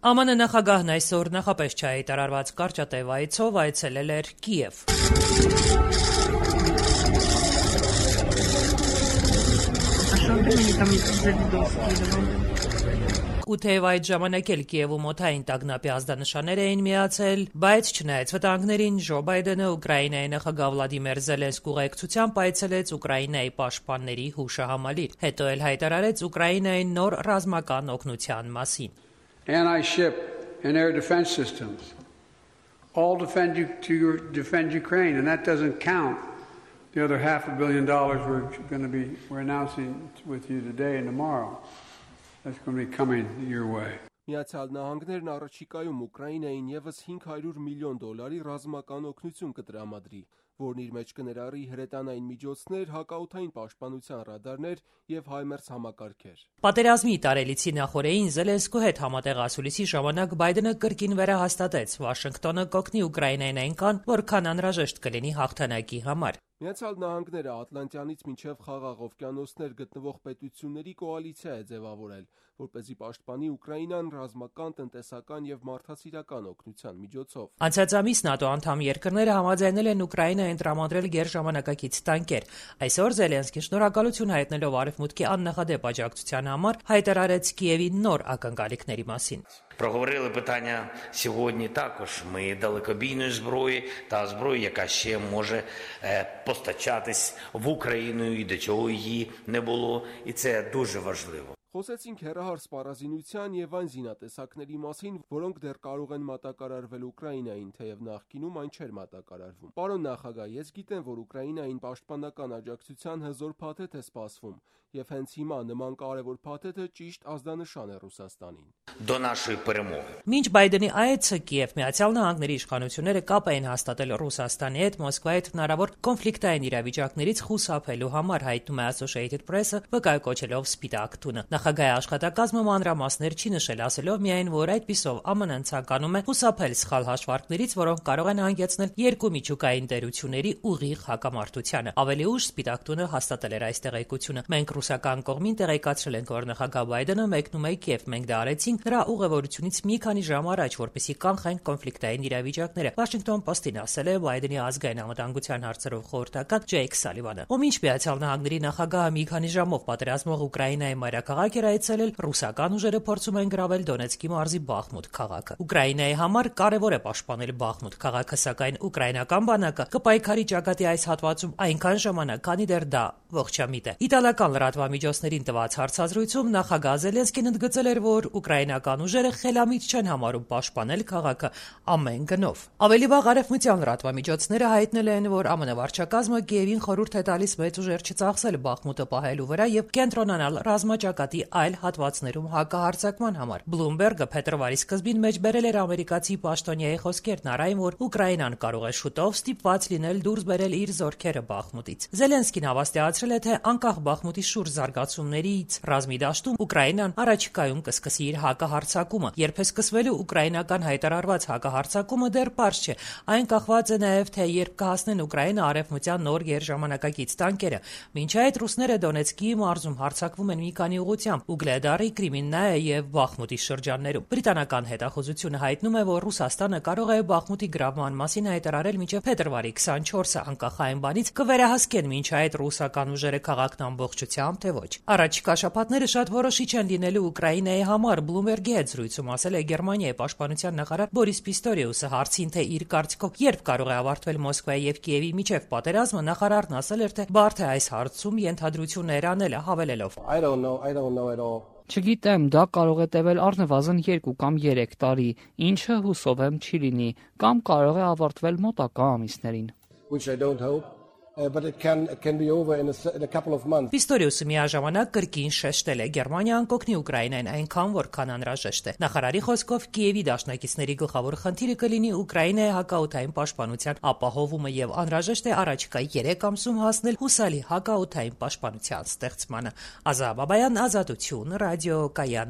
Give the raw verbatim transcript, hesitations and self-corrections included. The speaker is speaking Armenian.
Է Մ Ն նախագահն այսօր նախապես չհայտարարված կարճատև այցով այցելել էր Կիև։ Ու թեև այդ ժամանակ էլ Կիևում օդային տագնապի ազդանշաններ էին միացել, բայց չնայած վտանգներին Ջո Բայդենը Ուկրաինայի նախագահ Վլադիմիր Զելենսկու ուղեկցությամբ այցելեց Ուկրաինայի պաշտպանների հուշահամալիր, հետո էլ հայտարարեց Ուկրաինայի նոր ռազմական օգնության մասին։ Anti-ship and air defense systems all defend you to defend Ukraine, and that doesn't count the other half a billion dollars we're going to be we're announcing with you today and tomorrow. That's going to be coming your way. Միացյալ Նահանգներն առաջիկայում Ուկրաինային եւս հինգ հարյուր միլիոն դոլարի ռազմական օգնություն կտրամադրի, որն իր մեջ կներառի հրետանային միջոցներ, հակաօդային պաշտպանության ռադարներ եւ հայմերձ համակարգեր։ Պատերազմի տարելիցի նախորդին Զելենսկու հետ համատեղ ասուլիսի ժամանակ Բայդենը կրկին վերահաստատեց Վաշինգտոնը կօգնի Ուկրաինային այնքան, որքան անհրաժեշտ կլինի հաղթանակի համար։ Միացյալ Նահանգները Ատլանտյանից մինչև Խաղաղ օվկիանոսներ գտնվող պետությունների կոալիցիա է ձևավորել, որպեսզի պաշտպանի Ուկրաինան ռազմական, տնտեսական եւ մարդասիրական օգնության միջոցով։ Անցած ամիս ՆԱՏՕ անդամ երկրները համաձայնել են Ուկրաինային տրամադրել գերժամանակակից տանկեր։ Այսօր Զելենսկին շնորհակալություն հայտնելով Արևմուտքի աննախադեպ աջակցության համար հայտարարեց Կիևի нոր ակնկալիքների մասին։ Проговорили питання сьогодні також. Ми далекобійної зброї та зброї, яка ще може е, постачатись в Україну і до чого її не було. І це дуже важливо. Խոսեցինք հեռահար սպառազինության եւ այն զինատեսակների մասին, որոնք դեռ կարող են մատակարարվել Ուկրաինային, թեև նախկինում այն չէր մատակարարվում։ Պարոն նախագահ, ես գիտեմ, որ Ուկրաինային պաշտպանական աջակցության հզոր փաթեթ է սպասվում, եւ հենց հիմա նման կարևոր փաթեթը ճիշտ ազդանշան է Ռուսաստանին։ До нашої перемоги. Մինչ Բայդենի այցը Կիև Միացյալ Նահանգների իշխանությունները կապ էին հաստատել Ռուսաստանի հետ Մոսկվայի հետ հնարավոր կոնֆլիկտային իրավիճակներից խուսափելու համար, հայտնում է Associated Press-ը, վկայակոչելով Սպիտակ տունը։ Նախագահի աշխատակազմը մանրամասներ չի նշել, ասելով միայն, որ այդպիսով Ա Մ Ն-ն ցանկանում է խուսափել սխալ հաշվարկներից, որոնք կարող են հանգեցնել երկու միջուկային տերությունների ուղիղ հակամարտությանը։ Ավելի ուշ Սպիտակ տունը հաստատել էր այս տեղեկությունը։ Մենք ռուսական կողմին տեղեկացրել ենք, որ նախագահ Բայդենը մեկնում է Կիև, մենք դա արեցինք նրա ուղևորությունից մի քանի ժամ առաջ, որպեսզի կանխենք կոնֆլիկտային իրավիճակները։ Վաշինգտոն Պոստին ասել է Բայդենի ազգային անվտանգության հարցերով խորհրդական Ջեյք Սալիվանը։ Ո մինչ Միացյալ Նահանգների նախագահը մի քանի ժամով պատերազմող Ուկրաինայի մայրաքաղաք էր այցելել, ռուսական ուժերը փորձում են գրավել Դոնեցկի մարզի Բախմուտ քաղաքը։ Ուկրաինայի համար կարևոր է պաշտպանել Բախմուտ քաղաքը, սակայն ուկրաինական բանակը կպայքարի ճակատի այս հատվածում այնքան ժամանակ, քանի դեռ դա ողջամիտ է։ Իտալական լրատվամիջոցներին տված հարցազրույցում նախագահ Զելենսկին ընդգծել էր, որ ուկրաինական ուժերը խելամիտ չեն համարում պաշտպանել քաղաքը ամեն գնով։ Ավելի վաղ արևմտյան լրատվամիջոցները հայտնել են, որ Ա Մ Ն վարչակազմը Կիևին խորհուրդ է տալիս մեծ ուժեր չծախսել Բախմուտը պահելու վրա եւ կենտրոնանալ ռազմաճակատի այլ հատվածներում հակահարձակման համար։ Բլումբերգը փետրվարի սկզբին մեջբերել էր ամերիկացի պաշտոնյայի խոսքերն առայն, որ Ուկրաինան կարող է շուտով ստիպված լինել դուրս բերել իր զորքերը Բախմուտից։ Զելենսկին հավաստիացրել է, թե անկախ Բախմուտի շուրջ զարգացումներից ռազմի դաշտում Ուկրաինան առաջիկայում կսկսի իր հակահարձակումը։ Երբ է սկսվելու ուկրաինական հայտարարված հակահարձակումը դեռ պարզ չէ։ Այն կախված է նաև, թե երբ կհասնեն Ուկրաինա արևմտյան նոր գերժամանակակից տանկերը։ Մինչ այդ ռուսները Դոնեցկի մարզում հարձակվում են մի քանի ուղղությամբ՝ Ուգլեդարի, Կրիմիննայե եւ Բախմուտի շրջաններում։ Բրիտանական հետախուզությունը հայտնում է, որ Ռուսաստանը կարող է Բախմուտի գրավման մասին հայտարարել մինչև փետրվարի քսանչորսը, անկախ այն բանից կվերահսկեն մինչ այդ ռուսական ուժերը քաղաքն ամբողջությամբ, թե ոչ։ Առաջիկա շաբաթները շատ որոշիչ են լինելու Ուկրաինայի համար, Բլումբերգի հետ զրույցում ասել է Գերմանիայի պաշտպանության նախարար Բորիս Պիստորիուսը հարցին, թե իր կարծիքով երբ կարող է ավարտվել Մոսկվայի եւ Կիևի միջև պատերազմը, նախարարն ասել էր, թե բարդ է այս հարցում ենթադրություններ անելը, հավելելով. I don't know, I don't know at all. Չգիտեմ, դա կարող է տևել առնվազն երկու կամ երեք տարի, ինչը հուսով եմ չի լինի, կամ կարող է ավարտվել մոտակա ամիսներին։ Which I don't hope. Uh, but it can it can be over in a, in a couple of months. Պիստորիուսը միաժամանակ կրկին շեշտել է Գերմանիան կօգնի Ուկրաինային այնքան, որքան անհրաժեշտ է։ Նախարարի խոսքով Կիևի դաշնակիցների գլխավոր խնդիրը կլինի Ուկրաինայի հակաօդային պաշտպանության ապահովումը եւ անհրաժեշտ է առաջիկա երեք ամսում հասնել հուսալի հակաօդային պաշտպանության ստեղծմանը։ Ազա Բաբայան, Ազատություն, ռադիո Կայան։